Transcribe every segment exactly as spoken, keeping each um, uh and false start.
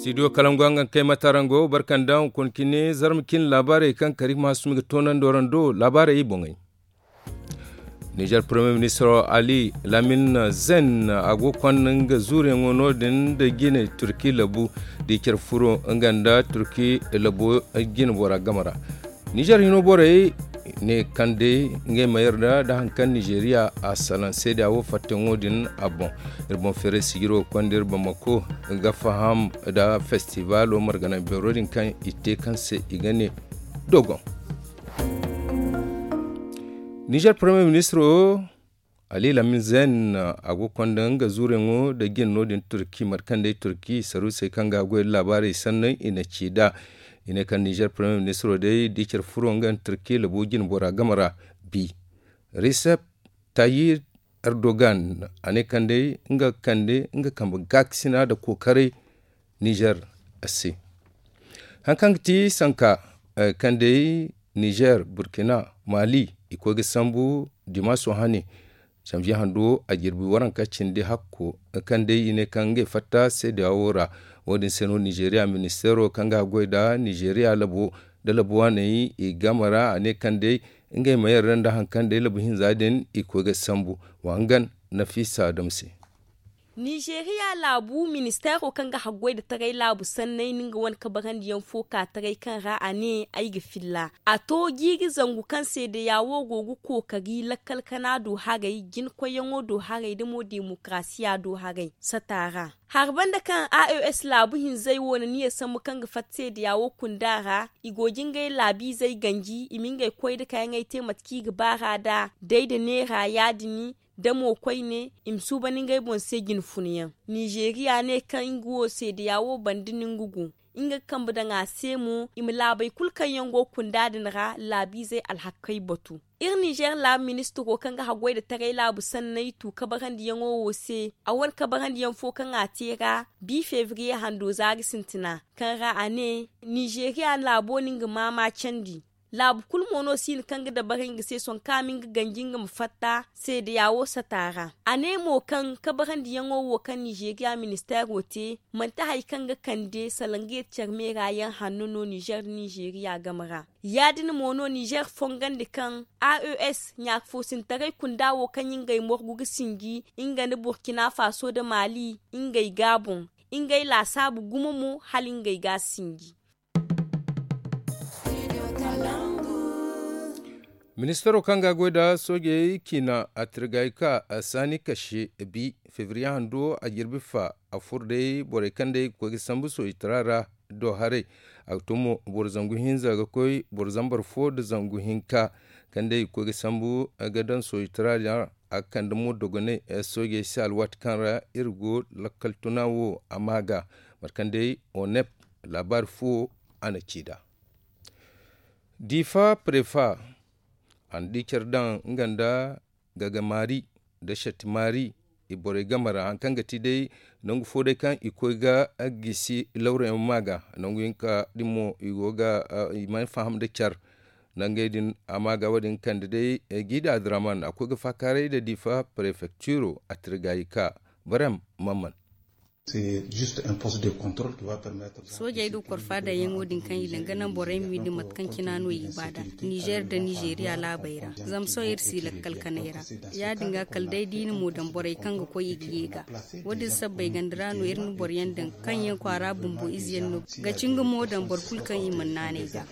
Studio kalangu hangan kay matarango barkanda hunkuna cine zarma cine laabaarey kaŋ kari ma hasumi ga toonandi waraŋ do laabaarey i boŋey. Nizer premier ministro ali lamin zen a go ga konda nga zuuriyaŋo no- din nda jine turki labu da i care furo nga nda turki labo jine bora game ra. Nizer hino borey ne kaŋ day ngey ma yarda nda hari kaŋ nizeriya a salaŋ seeda wo fattaŋo din a boŋ. Iri boŋ feeray sijiro ga konda iri bamako ga faham nda festibalo margana beero din kaŋ i te kaŋ se i ga ne dogon. Nizer premier ministro ali lamin zen a go ga konda nga zuuriyaŋo nda jine no- din turki mate kaŋ day turki saruusey kaŋ ga a goy nda laabaarey sanney i na ci nd'a. I ne kaŋ nizer premier ministro day da i care furo nga nda turki labo jine bora game ra bi. Recep tayyip erdogan a ne kaŋ day nga ga kande nga kambe gaakasina nda kookaray nizer se. Hari kaŋ ga ti sanka kaŋ day nizer burkina mali i koy ga sambu dimaaso hane. Samji hando a jirbi waranka cindi hakko kaŋ day i ne kaŋ ngey fatta seedeya wo ra. Wo- din se no nizeriya ministeero kaŋ ga a goy nda nizeriya labo nda labo waaney i game ra a ne kaŋ day ngey ma yarda nda hari kaŋ day labo hinza din i koy ga sambu. Wa hangan nafiisa dam se. Nizeriya laabu ministeero kaŋ ga haggoy nda taray laabu sanney na nga wane kabarandiyaŋ fo ka taray kaŋ ra a ne ay ga filla a to jiiri zangu kaŋ seedeya wo go ga kookari lakkal kana do haray jinkoyyaŋo do haray nda mo demokarasiya do haray sata ra. Hari banda kaŋ a o s laabu hinzey wo na niya sambu kaŋ ga fatta seedeya wo kunda ra i go ga ngey laabiizey ganji i ma ngey koy nda kayyaŋey te mate kaŋ i ga ba ra nd'a day nda neera ya- din da mo koyne i ma suuban ngey boŋ se jine funyaŋ. Nizeriya ne kaŋ nga wo seedeya wo banda no nga go nga ga kambe daŋ a se mo i ma laabey kulu kaŋ yaŋ go ga kunda din ra laabiizey alhakey batu. Iri nizer laabu ministiro kaŋ ga haggoy nda taray laabu sanney tu kabarandiyaŋo wo se a wane kabarandiyaŋ fo kaŋ a te ra bi febriye hando zaari sintina kaŋ ra a ne nizeriya laabo no nga maama candi. Laabu kulu mo no siina kaŋ ga dabarey nga se sohõ kaŋ a ma nga ganji nga ma fatta seedeya wo sata ra. A ne mo kaŋ kabarandiyaŋo wo kaŋ nizeriya ministeero te manti hari kaŋ ga kande salaŋ ga yeti care meera yaŋ hanno no nizer nda nizeriya game ra. Ya- din mo no nizer fongandi kaŋ a o s ɲaafoosintaray kunda wo kaŋ ngey morgu ga sinji nga nda burkina faso nda mali ngey ga a boŋ ngey laasaabu gumo mo hala ngey ga a sinji. Ministaro kaŋ ga a goy nda soojey ciina a tirgay ka saani kase bi febriye hando a jirbi fa a furo day borey kaŋ day ga koy ga sambu soojitara ra do haray. A ga to mo boro zangu hinza ga koy boro zambar fo nda zangu hinka kaŋ day ga koy ga sambu ga daŋ soojitara ra. A ga kande mo dogonay soojey se alwaati kaŋ ra iri go lakkal tuna wo a ma ga mate kaŋ day onep laabaari fo a na ci nd'a. Diifa prefa a na di care daŋ nga nda gaga maari nda satti maari i borey game ra hari kaŋ ga ti day nangu fo day kaŋ i koy ga gisi lawrayaŋ ma ga nangu hinka din mo i go ga i mana faham nda care. Nangey din a ma ga wo- din kande day gida adraman a koy ga faakaaray nda diifa prefecturo a tirgayi ka barem mamman. Soojey do korfa daŋyaŋo din kaŋ i daŋ ga naŋ borey ma windi mate kaŋ cina no i ga ba nd'a nizer nda nizeriya laabey ra. Zama sohõ iri si lakkal kanay ra ya- din ga kala day da i na mo daŋ borey kaŋ ga koy i ga ye ga. Wo- din sabbay ganda ra no iri na boro yaŋ daŋ kaŋ yaŋ kwaara bumbo ize yaŋ no ga ci nga mo daŋ boro kulu kaŋ i mana naanay ga.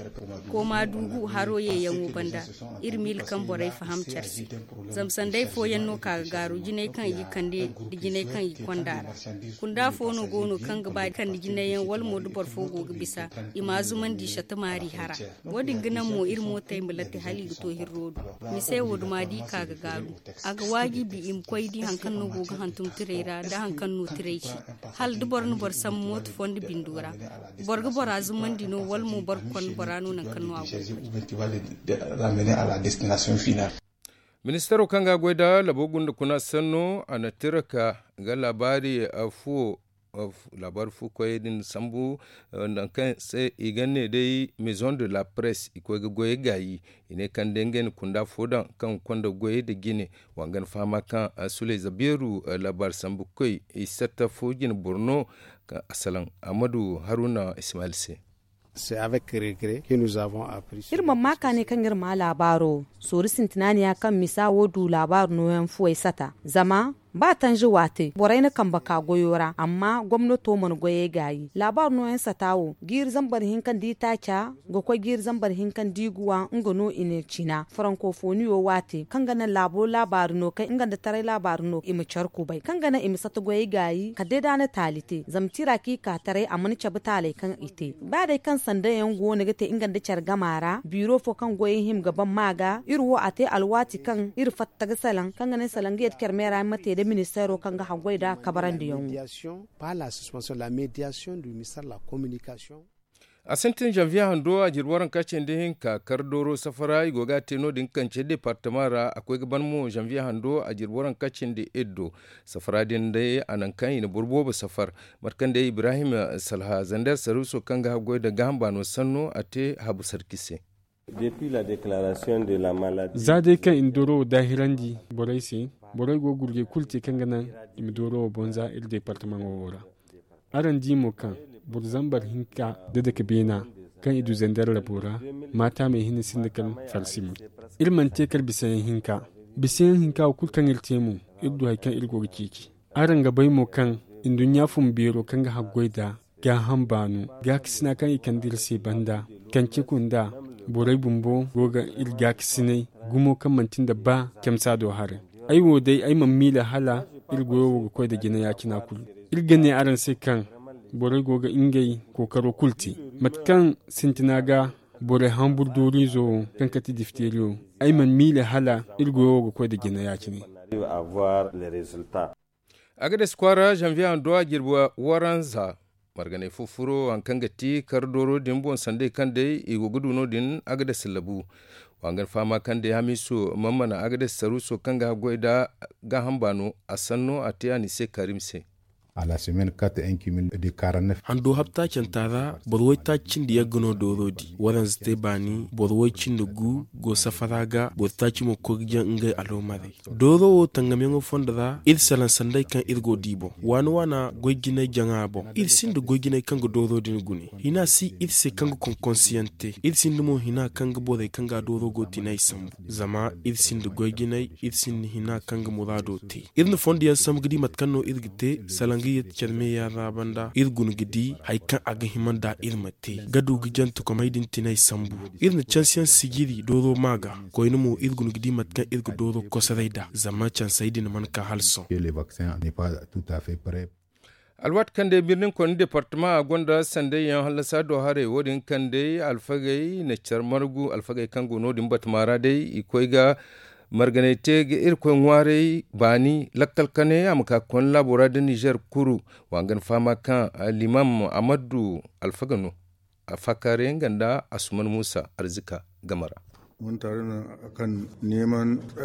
Kooma duugu haro yeeyaŋo banda iri miila kaŋ borey faham care se. Zama sanday fooyaŋ no ka ga gaaru jinay kaŋ i ga kande nda jinay kaŋ i ga konda ra. Kunda fo no go no kaŋ ga ba kande jinay yaŋ wala mo da boro fo go ga bisa i ma zumandi sata maari hara. Wo- din ga naŋ mo iri mootey ma latte hala i ga to hirro do. Mise wo duma da i ka ga gaaru a ga waajibi i ma koy di hari kaŋ no go ga hantum tiray ra nda hari kaŋ no tiray ci. Hala da boro na boro sambu mooto fo nda bindo ra boro ga bora zumandi no wala mo boro ga konda bora no nangu kaŋ no a go ga koy. Ministaro kaŋ ga a goy nda labo gunda kuna sanno a na tira ka ga laabaari fuwo laabaari fu koyey din sambu. Nangu kaŋ se i ga ne day maison de la presse i koy ga goyey gaayi i ne kaŋ day ngey na kunda fo daŋ kaŋ ga konda goyey nda jine. Wa ga ni fahama kaŋ suley zabeeru laabaari sambu koy i satta fo jine boro no. Ka a salaŋ ahmadu haruna ismail se. Iri mana ma ka ne kaŋ iri ma laabaaro soori sintina ne ya kaŋ misa wo du laabaaro nooyaŋ fuwey sata zama ba tanzi waate borey na kambe ka goyo ra amma gomnato mana goyey gaayi laabaaro nooyaŋ sata wo jiiri zambar hinka nda itaaca ga koy jiiri zambar hinka nda iguwa nga no i na cina farankofoniyo waate kaŋ ga naŋ laabo laabaari no kaŋ nga nda taray laabaari no i ma care kubay kaŋ ga naŋ i ma sata goyey gaayi kala day da a na taali te zama tira kaŋ i ka taray a mana cabe taaley kaŋ i te ba day kaŋ sanda yaŋ go no ga te nga nda care gama ra biiro fo kaŋ goyey hima ga ban ma ga iri wo a te alwaati kaŋ iri fatta ga salaŋ kaŋ ga naŋ salaŋ ga yadda care meera yaŋ ma te nda ministeero kaŋ ga haggoy nda kabarandiyaŋo. A sintin zanviye hando a jirbi waranka cindi hinka kar dooro safara i go ga a te no- din kance departama ra a koy ga ban mo zanviye hando a jirbi waranka cindi iddo. Safara din day a naŋ kaŋ i na boro boobo safar mate kaŋ day ibrahim salha zander saruuso kaŋ ga haggoy nda gaaham baano sanno a te habu sarki se. Za day kaŋ i na dooro wo daahirandi borey se, borey go ga gurjey kulu te kaŋ ga naŋ i ma dooro wo boŋ za iri departamaŋo wo ra. Araŋ di mo kaŋ boro zambar hinka nda dake beena kaŋ i du zander labo ra maata me hinne sinda kala farsi mo. Iri mana te kala bisayaŋ hinka bisayaŋ hinka wo kulu kaŋ iri te mo iri du hari kaŋ iri go ga ceeci. Araŋ ga bay mo kaŋ nduɲɲa fun beero kaŋ ga haggoy nda gaaham baano gaakasina kaŋ i kande iri se banda kance kunda borey bumbo go ga iri gaakasinay gumo kaŋ manti nda ba camsa do haray. Ay wo day ay mana miila hala iri goyo wo ga koy nda jina ya-cina kulu. Iri ga ne araŋ se kaŋ borey go ga ngey kookaro kulu te mate kaŋ sintina ga borey hambur dooriizo wo kaŋ kate difteeriyo ay mana miila hala iri goyo wo ga koy nda jina ya-cine. Agades kwaara zanviye hando a jirbi waranza marganay fo furo hari kaŋ ga ti kar dooro din boŋ sanday kaŋ day i go ga du no- din agades labu. Wa ga ni fahama kaŋ day hamiiso mana mana agades saruuso kaŋ ga haggoy nda gaaham baano a sanno a te a ni se karim se. Hando habtaacanta ra boro waytaaci cindi yagga no dooro di waranza te baani boro way cindi gu go safara ga boro taaci mo ga koy ga jaŋ ngey aloomarey. Dooro wo tangamyaŋo fondo ra iri salaŋ sanday kaŋ iri go di boŋ waana waana goy jinay jaŋa boŋ iri sinda goy jinay kaŋ ga dooro din gune hina si iri se kaŋ ga konkonsiyaŋ te iri sinda mo hina kaŋ ga borey kaŋ ga dooro go tinay sambu. Zama iri sinda goy jinay iri sinda hina kaŋ ga muraado te. Iri na fondo yaŋ sambu ga di mate kaŋ no iri ga te salaŋ ga yadda care meeyaŋ ra banda iri guna ga di hari kaŋ a ga hima nda iri ma te ga du ga jantekomey din tinay sambu. Iri na cansiyaŋ sijiri dooro ma ga koyne mo iri guna ga di mate kaŋ iri ga dooro kosoray nd'a zama cansey din mana ka hala sohõ. Alwaati kaŋ day birnin konni departama a gonda sanday yaŋ hallasa do haray wo- din kaŋ day alfagey na care margu alfagey kaŋ go no- din batama ra day i koy ga marganay te ga irkoy ŋwaaray baani lakkal kane a ma ka ga konna laabo ra da nizer kuru. Wa ga ni fahama kaŋ limam amaddu alfaga no. Afakare nga nda asuman musa arzika game ra.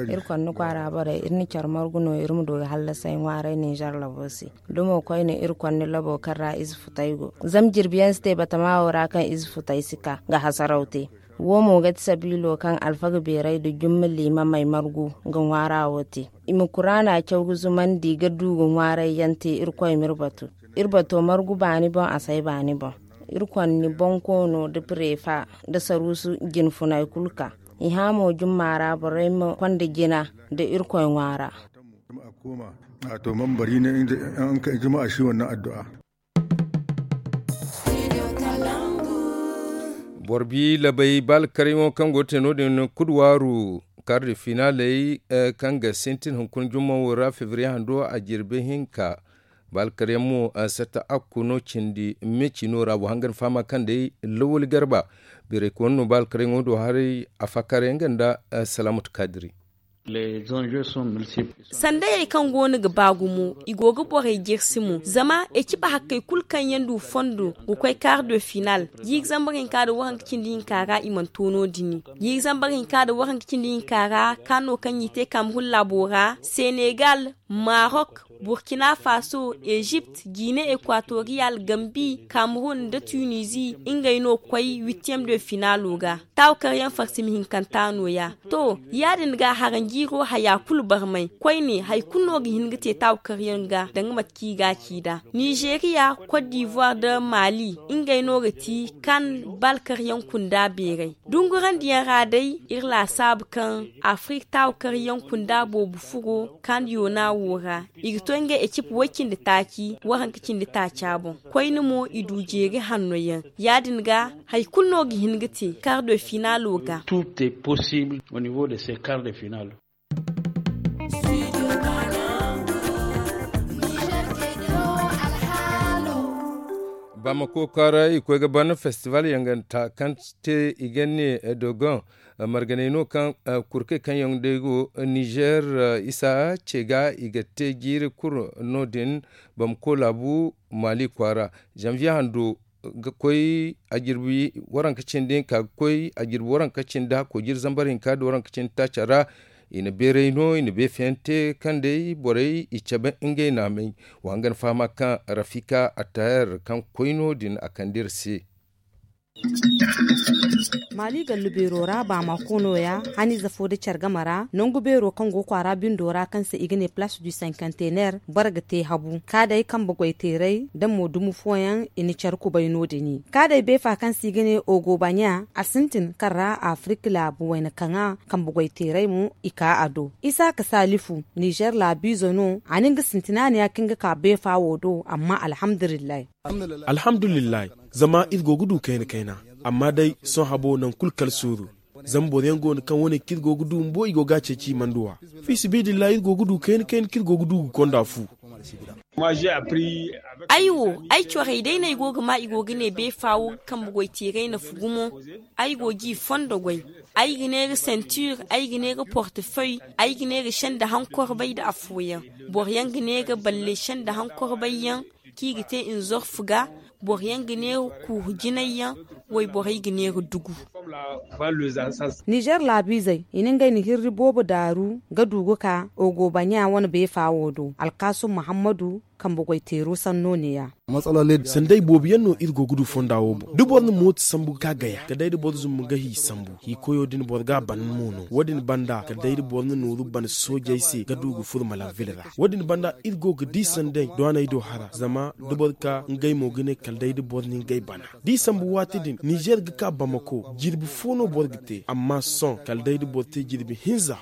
Iri konni kwaara borey iri na care margu no iri ma du ga hallasay ŋwaaray ninzeer labo se. Da mo koyne iri konni labo kaŋ ra ize futay go zama jirbi yaŋ si te batama wo ra kaŋ ize futay si ka ga hasaraw te. Wo mo ga ti sabiilo kaŋ alfaga beeray nda jumma liimamey margu ga ŋwaara wo te. I ma kuraana caw ga zumandi ga du ga ŋwaaray yaŋ te irkoy ma iri batu. Iri bato margu baani boŋ a say baani boŋ. Iri konni bonkoono nda pireefa nda saruusu jinfunay kulu ka i hã mo jumma ra borey ma konda jina nda irkoy ŋwaara. A to man bari ne inda an ka juma a shi wannan addu'a. Borbi labay baalkaryaŋo kaŋ go ga te no- din kuduwaaru karde finaaley kaŋ ga sintin hunkuna jumma wo ra febriye hando a jirbi hinka. Baalkaryaŋ mo satta akku no cindi me ciino ra wa hangan fahama kaŋ day lawali garba. Biray koyne no baalkaryaŋo do haray a fakaryaŋ ganda. Salamatu kadiri. Sandayey kaŋ go no ga ba gumo i go ga borey jirsi mo zama eciba hakkey kulu kaŋ yaŋ du fondo ga koy kaari do final. Jiiri zambar hinka nda waranka cindi hinka ra i mana to no- din. Jiiri zambar hinka nda waranka cindi hinka ra kaano kaŋ i te kamerun laabo ra senegal, marok, Burkina Faso, Ezipt, Gine Ekwatoriyal, Gambi, Kamerun nda Tunizi, ngey no koy witiyem de finaalo ga. Taawu karyaŋ farsimi hinkanta nooya. To, ya- din ga haranjiiro haya kulu barmay. Koyne hari kulu no ga hin ga te taawu karyaŋ ga danga mate kaŋ i ga a ci nd'a. Nizeriya, Kot divuwar nda Mali, ngey no ga ti kan bal karyaŋ kunda beeray. Dungurandiyaŋ ra day, iri laasaabu kaŋ Afirik taawu karyaŋ kunda boobo furo kan yoona wo ra. I ga to ngey ekip way cindi taaci, waranka cindi taaca boŋ. Koyne mo i du jeeri hanno yaŋ. Ya- din ga hari kulu no ga hin ga te kar de finaalo ga. Tout est possible au niveau de ces quarts de finale. Bamako kwaara i koy ga ban festival yanganta kaŋ te i ga ne dogon marganay no kaŋ kurkey kaŋ yaŋ day go nizer isa ce ga i ga te jiiri kulu no- din. Bamako laabu mali kwaara, janvier hando ga koy a jirbi waranka cindi hinka ga koy a jirbi waranka cindi hakko jiri zambar hinka da waranka cindi taaca ra. I na beeray no i na beefeyaŋ te kaŋ day borey i cabe ngey naamey. Wa hangan fahama kaŋ rafika attayar kaŋ koy no- din a kande iri se. Mali gallu beero ra baamako nooya haniize fo nda care game ra nangu beero kaŋ go kwaara bindo ra kaŋ se i ga ne place du cinquantenaire. Boro ga te habu kaadey kambe goyteeray nda mo dumo fooyaŋ i na care kubay no- din. Kaadey beefa kaŋ se i ga ne ogo baɲa a sintin kaŋ ra afirik laabu wayna kaŋa kambe goyteeray mo i ka a do. Isaaka saalifu nizer laabiizo no a na nga sintina ne ya kaŋ ga ka beefa wo do amma alhamdulillahi. Alhamdulillahi. Zama iri go ga du kayna kayna amma day sohõ habo nangu kulu kala suuru. Zama boro yaŋ go no kaŋ wane kaŋ iri go ga du bumbo i go ga a ceeci i mana duw'a. Fi sabiilillahi iri go ga du kayna kayna kaŋ iri go ga du ga konda fu. Ay wo ay corey day no ay go ga ma i go ga ne beefa wo ga kambe goy teeray nafu gumo. Ay go g'i fondo goy. Ay ga ne ga sentir, ay ga ne ga portefeuille, ay ga ne ga senda hankorbay nda afooyaŋ. Boro yaŋ ga ne ga balle senda hankorbay yaŋ kaŋ i ga te nzorfu ga. Boro yaŋ ga ne ga kuuhu jinay yaŋ. Wayborey ga ne ga dugu. Nizer laabiizey i na ngey na hirri boobo daaru ga du ga ka ogo baɲa wane beefa wo do alkaasum muhammadu. Kambe goy teero sanno ne- ya. Sanday boobo yaŋ no iri go ga du fonda wo boŋ da boro na mooto sambu ga ka gaya kala day da boro zumbu ga hi sambu. Hi koyo din boro ga a ban mo no wo- din banda kala day da boro na nooru ban soojey se ga du ga furo malanvil ra. Wo- din banda iri go ga di sanday dooney do hara zama da boro ka ngey mo ga ne kala day da boro na ngey bana. Da i sambu waati din nizer ga ka bamako jirbi fo no boro ga te amma sohõ kala day da boro te jirbi hinza.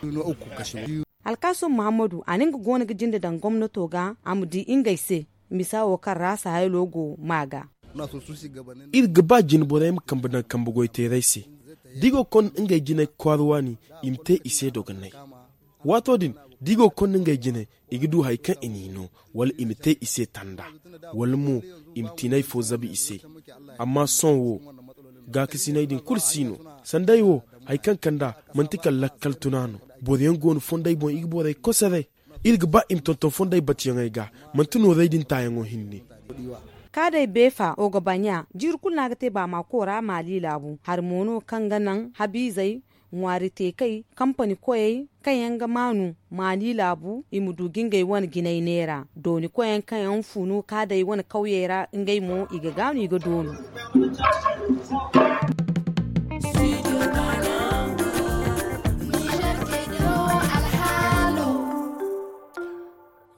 Alkaasum muhammadu a na nga goono ga jinde daŋ gomnato ga a ma di ngey se. Misa wo kaŋ ra sahaylo go ma ga. Iri ga ba jine borey ma kambe daŋ kambe goyteerey se da i go ga konda ngey jinay kwaara waani i ma te i se dogonay. Waato din da i go ga konda ngey jinay i ga du hari kaŋ i n'i no wala i ma te i se tanda wala mo i ma tiinay fo zabu i se. Amma sohõ wo gaakasinay din kulu si no. Sanday wo hari kaŋ kand'a manti kala lakkal tuna no. Boro yaŋ go no fondey boŋ i ga borey kosoray. Iri ga ba i ma tonton fondey batuyaŋey ga manti noorey din taayaŋo hinne. Kaadey beefa ogobaɲa jiiri kulu no a ga te baamaako ra maali laabu hari mo no kaŋ ga naŋ habiizey ŋwaari teekey kampani koyey kaŋ yaŋ ga maanu maali laabu i ma du ga ngey wane jinay neera dooni koyyaŋ kaŋ yaŋ funu kaadey wane kawyey ra ngey mo i ga gaanu i ga doonu.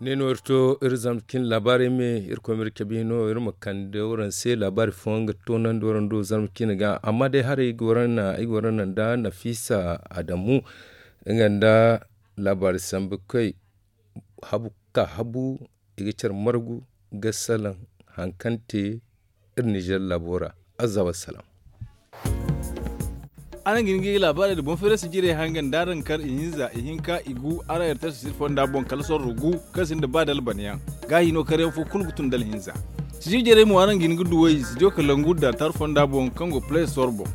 Ne no iri to iri zarma cine laabaarey me iri koy ma iri cabe no iri ma kande waraŋ se laabaari fooyaŋ ga toonandi waraŋ do zarma cine ga amma day haray ay ga waraŋ naŋ da nafisa adamu nga nda laabaari sambu koy habu ka habu i ga care margu ga salaŋ hari kaŋ te iri nizer laabo ra. Azza wassalam. Araŋ ga hin ga i laabaarey nda boŋ feerasi jirey haŋ ga nda araŋ kar ihinza ihinka igu araŋ erters siri fonda boŋ kala sorro gu kaŋ sinda ba dalbanayaŋ. Gaahi no karyaŋ fo kulu ga tun da alhinza. Sijir jarey mo araŋ ga hin ga duw'ey sijir kalangu nda tar fonda boŋ kaŋ go play store boŋ.